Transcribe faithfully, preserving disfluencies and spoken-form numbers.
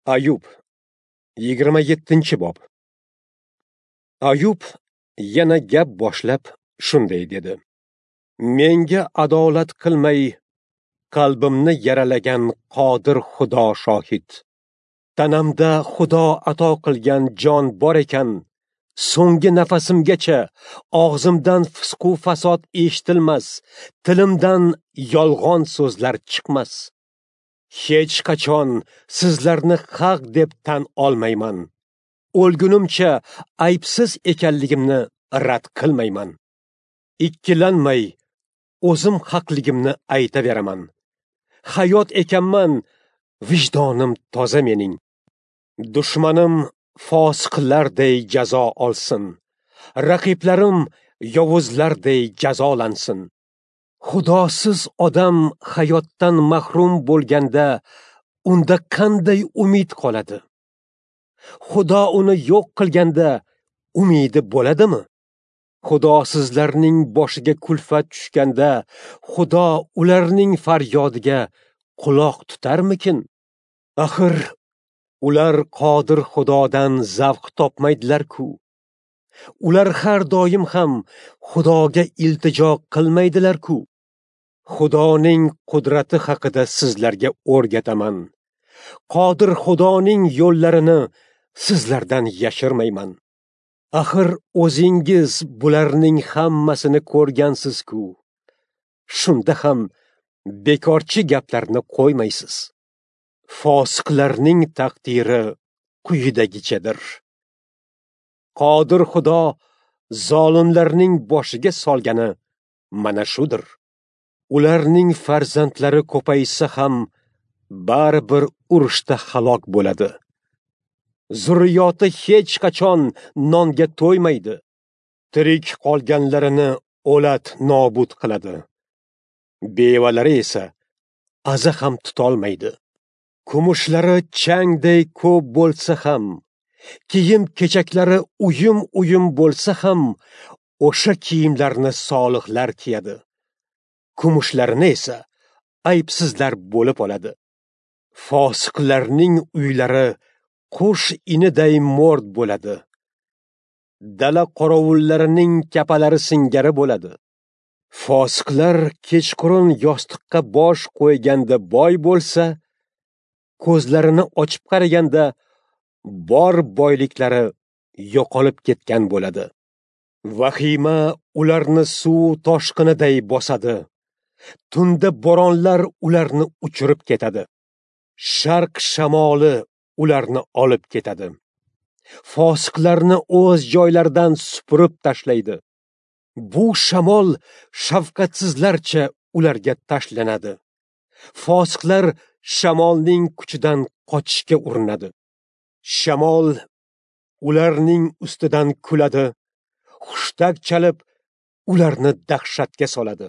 Ayub, yigirma yettinchi bob. Ayub yana gap boshlab shunday dedi: Menga adolat qilmay, qalbimni yaralagan qodir Xudo shohid. Tanamda Xudo ato qilgan jon bor ekan, so'nggi nafasimgacha og'zimdan fisqu fasod eshitilmas, tilimdan yolg'on so'zlar chiqmas. Hech qachon sizlarni haq deb tan olmayman. O'lgunimcha aybsiz ekanligimni rad qilmayman. Ikkilanmay o'zim haqligimni aytaveraman. Hayot ekanman, vijdonim toza mening. Dushmanim fosiqlarday jazo olsin. Raqiblarim yovuzlarday jazolansin. Xudosiz odam hayotdan mahrum bo'lganda unda qanday umid qoladi? Xudo uni yo'q qilganda umidi bo'ladimi? Xudosizlarning boshiga kulfat tushganda Xudo ularning faryodiga quloq tutarmikin? Axir ular qodir Xudodan zavq topmaydilar-ku. Ular har doim ham Xudoga iltijo qilmaydilar-ku. Xudoning qudrati haqida sizlarga o'rgataman. Qodir Xudoning yo'llarini sizlardan yashirmayman. Axir o'zingiz bularning hammasini ko'rgansiz-ku. Shunda ham bekorchi gaplarni qo'ymaysiz. Fosiqlarning taqdiri quyidagichadir. Qodir Xudo zolimlarning boshiga solgani mana shudir. Ularning farzandlari ko'paysa ham baribir urushda halok bo'ladi. Zurriyoti hech qachon nonga to'ymaydi. Tirik qolganlarini o'lat nobud qiladi. Bevalari esa aza ham tutolmaydi. Kumushlari changday ko'p bo'lsa ham, kiyim-kechaklari uyum-uyum bo'lsa ham, o'sha kiyimlarni solihlar kiyadi. Kumushlarini esa aybsizlar bo'lib oladi. Fosiqlarning uylari qush iniday mo'rt bo'ladi. Dala qorovullarining kapalari singari bo'ladi. Fosiqlar kechqurun yostiqqa bosh qo'yganda boy bo'lsa, ko'zlarini ochib qaraganda bor boyliklari yo'qolib ketgan bo'ladi. Vahima ularni suv toshqiniday bosadi. Tunda bo'ronlar ularni uchirib ketadi. Sharq shamoli ularni olib ketadi. Fosiqlarni o'z joylaridan supurib tashlaydi. Bu shamol shafqatsizlarcha ularga tashlanadi. Fosiqlar shamolning kuchidan qochishga urinadi. Shamol ularning ustidan kuladi, hushtak chalib ularni dahshatga soladi.